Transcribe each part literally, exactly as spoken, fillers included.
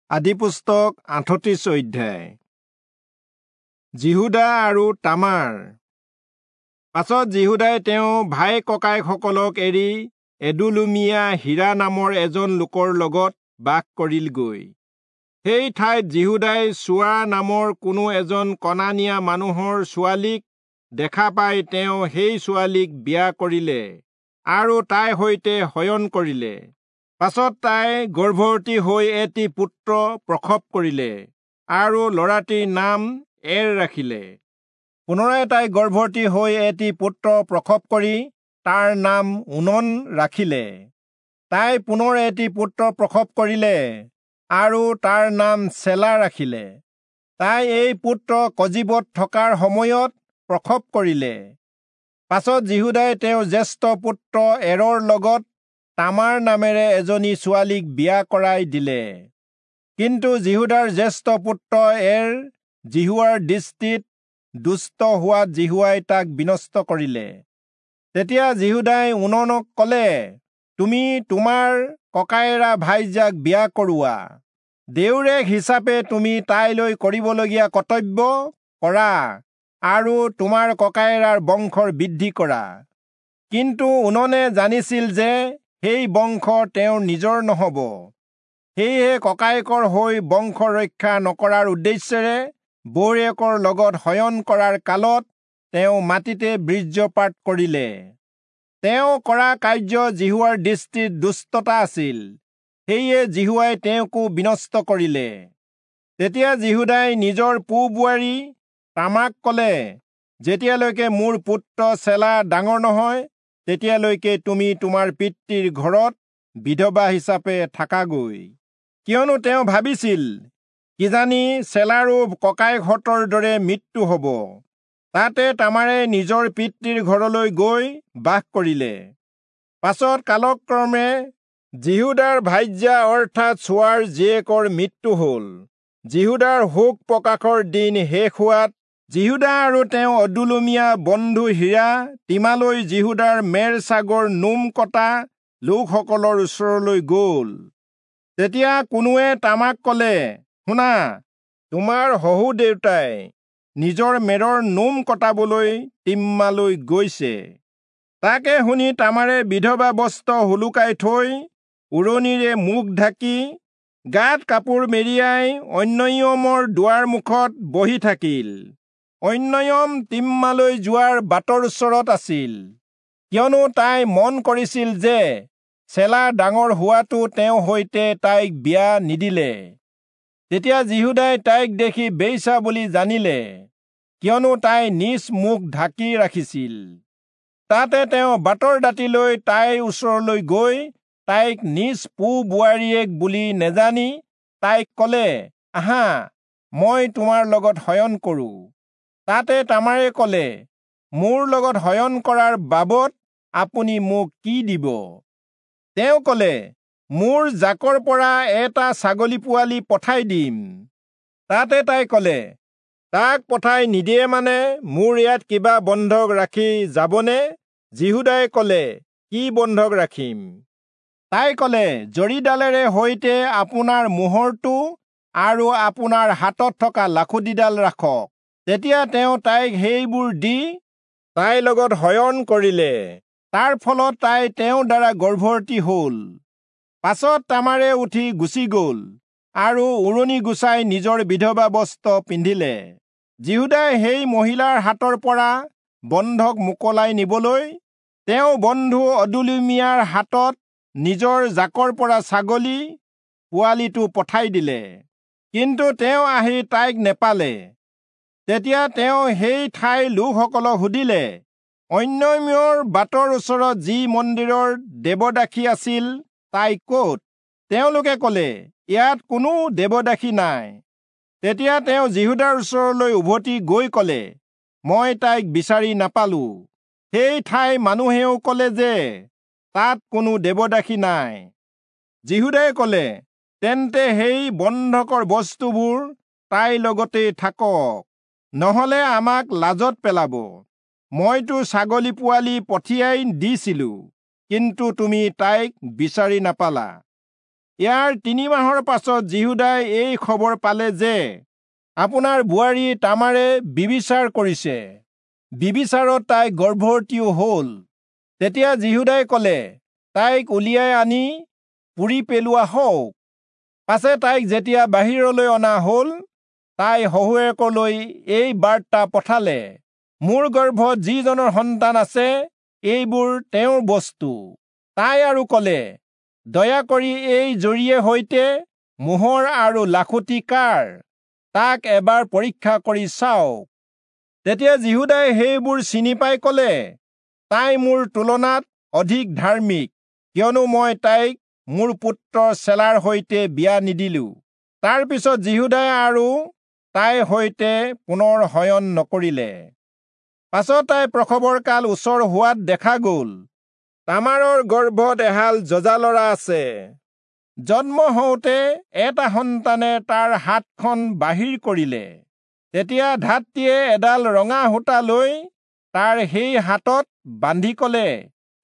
আদিপুস্তক আঠত্ৰিশ অধ্যায়। যিহূদা আৰু তামাৰ। পাছত যিহূদাই তেওঁ ভাই ককায়েকসকলক এৰি এদুলুমীয়া হীৰা নামৰ এজন লোকৰ লগত বাস কৰিলগৈ। সেই ঠাইত যিহূদাই চুৱা নামৰ কোনো এজন কনানীয়া মানুহৰ ছোৱালীক দেখা পাই তেওঁ সেই ছোৱালীক বিয়া কৰিলে আৰু তাইৰ সৈতে শয়ন কৰিলে। পাছত তাই গৰ্ভৱতী হৈ এটি পুত্ৰ প্ৰসৱ কৰিলে আৰু ল'ৰাটিৰ নাম এৰ ৰাখিলে। পুনৰাই তাই গৰ্ভৱতী হৈ এটি পুত্ৰ প্ৰসৱ কৰি তাৰ নাম ওনন ৰাখিলে। তাই পুনৰ এটি পুত্ৰ প্ৰসৱ কৰিলে আৰু তাৰ নাম চেলা ৰাখিলে। তাই এই পুত্ৰ কজীবত থকাৰ সময়ত প্ৰসৱ কৰিলে। পাছত যিহূদাই তেওঁৰ জ্যেষ্ঠ পুত্ৰ এৰৰ লগত তামাৰ নামেৰে এজনী ছোৱালীক বিয়া কৰাই দিলে। কিন্তু যিহূদাৰ জ্যেষ্ঠ পুত্ৰ এৰ যিহোৱাৰ দৃষ্টিত দুষ্ট হোৱাত যিহোৱাই তাক বিনষ্ট কৰিলে। তেতিয়া যিহূদাই ওননক কলে, তুমি তোমাৰ ককায়েৰা ভাইজাক বিয়া কৰোৱা, দেউৰেক হিচাপে তুমি তাইলৈ কৰিবলগীয়া কৰ্তব্য কৰা আৰু তোমাৰ ককায়েৰাৰ বংশৰ বৃদ্ধি কৰা। কিন্তু ওননে জানিছিল যে সেই বংশ তেওঁৰ নিজৰ নহব, সেয়েহে ককায়েকৰ হৈ বংশ ৰক্ষা নকৰাৰ উদ্দেশ্যেৰে বৌৱেকৰ লগত শয়ন কৰাৰ কালত তেওঁ মাটিতে বীৰ্যপাত কৰিলে। তেওঁ কৰা কাৰ্য যিহোৱাৰ দৃষ্টিত দুষ্টতা আছিল, সেয়ে যিহোৱাই তেওঁকো বিনষ্ট কৰিলে। তেতিয়া যিহূদাই নিজৰ পো বোৱাৰী তামাক কলে, যেতিয়ালৈকে মোৰ পুত্ৰ চেলা ডাঙৰ নহয় তেতিয়ালৈকে তুমি তোমাৰ পিতৃৰ ঘৰত বিধৱা হিচাপে থাকাগৈ। কিয়নো তেওঁ ভাবিছিল, কিজানি চেলাৰো ককায়েকহঁতৰ দৰে মৃত্যু হব। তাতে তামাৰে নিজৰ পিতৃৰ ঘৰলৈ গৈ বাস কৰিলে। পাছত কালক্ৰমে যিহূদাৰ ভাৰ্যা অৰ্থাৎ চুৱাৰ জীয়েকৰ মৃত্যু হল। যিহূদাৰ শোক প্ৰকাশৰ দিন শেষ হোৱাত যিহূদা আৰু তেওঁ অদুলমীয়া বন্ধু হীৰা তিমালৈ যিহূদাৰ মেৰ ছাগৰ নোম কটা লোকসকলৰ ওচৰলৈ গল। তেতিয়া কোনোৱে তামাক কলে, শুনা, তোমাৰ শহুৰ দেউতাই নিজৰ মেৰৰ নোম কটাবলৈ তিম্মালৈ গৈছে। তাকে শুনি তামাৰে বিধৱা বস্ত্ৰ সোলোকাই থৈ উৰণিৰে মুখ ঢাকি গাত কাপোৰ মেৰিয়াই অন্যয়মৰ দুৱাৰ মুখত বহি থাকিল। অন্যয়ম তিম্মালৈ যোৱাৰ বাটৰ ওচৰত আছিল, কিয়নো তাই মন কৰিছিল যে চেলা ডাঙৰ হোৱাটো তেওঁ সৈতে তাইক বিয়া নিদিলে। তেতিয়া যিহূদাই তাইক দেখি বেশ্যা বুলি জানিলে, কিয়নো তাই নিজ মুখ ঢাকি ৰাখিছিল। তাতে তেওঁ বাটৰ দাঁতিলৈ তাইৰ ওচৰলৈ গৈ তাইক নিজ পো বোৱাৰীয়েক বুলি নেজানি তাইক কলে, আহা, মই তোমাৰ লগত শয়ন কৰো। তাতে তামাৰে কলে, মোৰ লগত শয়ন কৰাৰ বাবদ আপুনি মোক কি দিব? তেওঁ কলে, মোৰ জাকৰ পৰা এটা ছাগলী পোৱালি পঠাই দিম। তাতে তাই কলে, তাক পঠাই নিদিয়ে মানে মোৰ ইয়াত কিবা বন্ধক ৰাখি যাবনে? যিহূদাই কলে, কি বন্ধক ৰাখিম? তাই কলে, জৰীডালেৰে সৈতে আপোনাৰ মোহৰটো আৰু আপোনাৰ হাতত থকা লাখুটিডাল ৰাখক। তেতিয়া তেওঁ তাইক সেইবোৰ দি তাইৰ লগত শয়ন কৰিলে। তাৰ ফলত তাই তেওঁৰ দ্বাৰা গৰ্ভৱতী হল। পাছত তামাৰে উঠি গুচি গল আৰু উৰণি গুচাই নিজৰ বিধৱা বস্ত্ৰ পিন্ধিলে। যিহূদাই সেই মহিলাৰ হাতৰ পৰা বন্ধক মোকলাই নিবলৈ তেওঁ বন্ধু অদুলুমীয়াৰ হাতত নিজৰ জাকৰ পৰা ছাগলী পোৱালিটো পঠাই দিলে। কিন্তু তেওঁ আহি তাইক নেপালে। তেতিয়া তেওঁ সেই ঠাইৰ লোকসকলক সুধিলে, অন্যয়মৰ বাটৰ ওচৰত যি মন্দিৰৰ দেৱদাসী আছিল তাই ক'ত? তেওঁলোকে কলে, ইয়াত কোনো দেৱদাসী নাই। তেতিয়া তেওঁ যিহূদাৰ ওচৰলৈ উভতি গৈ কলে, মই তাইক বিচাৰি নাপালো। সেই ঠাইৰ মানুহেও কলে যে তাত কোনো দেৱদাসী নাই। যিহূদাই কলে, তেন্তে সেই বন্ধকৰ বস্তুবোৰ তাইৰ লগতেই থাকক, নহলে আমাক লাজত পেলাব। মইতো ছাগলী পোৱালি পঠিয়াই দিছিলো, কিন্তু তুমি তাইক বিচাৰি নাপালা। ইয়াৰ তিনি মাহৰ পাছত যিহূদাই এই খবৰ পালে যে আপোনাৰ বোৱাৰী তামাৰে ব্যভিচাৰ কৰিছে, ব্যভিচাৰত তাই গৰ্ভৱতীও হল। তেতিয়া যিহূদাই কলে, তাইক উলিয়াই আনি পুৰি পেলোৱা হওক। পাছে তাইক যেতিয়া বাহিৰলৈ অনা হল, তাই শহুৱেকলৈ এই বাৰ্তা পঠালে, মোৰ গৰ্ভত যিজনৰ সন্তান আছে এইবোৰ তেওঁৰ বস্তু। তাই আৰু কলে, দয়া কৰি এই জৰীয়ে সৈতে মোহৰ আৰু লাখুটি কাৰ, তাক এবাৰ পৰীক্ষা কৰি চাওক। তেতিয়া যিহূদাই সেইবোৰ চিনি পাই কলে, তাই মোৰ তুলনাত অধিক ধাৰ্মিক, কিয়নো মই তাইক মোৰ পুত্ৰ চেলাৰ সৈতে বিয়া নিদিলো। তাৰ পিছত যিহূদাই আৰু তাইৰ সৈতে পুনৰ শয়ন নকৰিলে। পাছত তাই প্ৰসৱৰ কাল ওচৰ হোৱাত দেখা গল, তামাৰৰ গৰ্ভত এহাল যঁজা লৰা আছে। জন্ম হওঁতে এটা সন্তানে তাৰ হাতখন বাহিৰ কৰিলে। তেতিয়া ধাত্ৰীয়ে এডাল ৰঙা সূতা লৈ তাৰ সেই হাতত বান্ধি কলে,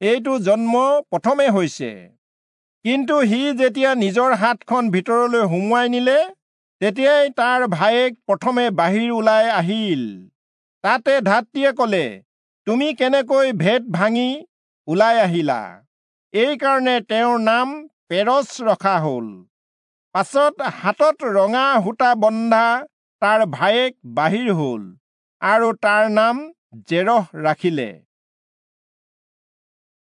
এইটো জন্ম প্ৰথমে হৈছে। কিন্তু সি যেতিয়া নিজৰ হাতখন ভিতৰলৈ সুমুৱাই নিলে, তেতিয়াই তাৰ ভায়েক প্ৰথমে বাহিৰ ওলাই আহিল। তাতে ধাত্ৰীয়ে কলে, তুমি কেনেকৈ ভেট ভাঙি ওলাই আহিলা? এইকাৰণে তেওঁৰ নাম পেৰচ ৰখা হল। পাছত হাতত ৰঙা সূতা বন্ধা তাৰ ভায়েক বাহিৰ হল আৰু তাৰ নাম জেৰহ ৰাখিলে।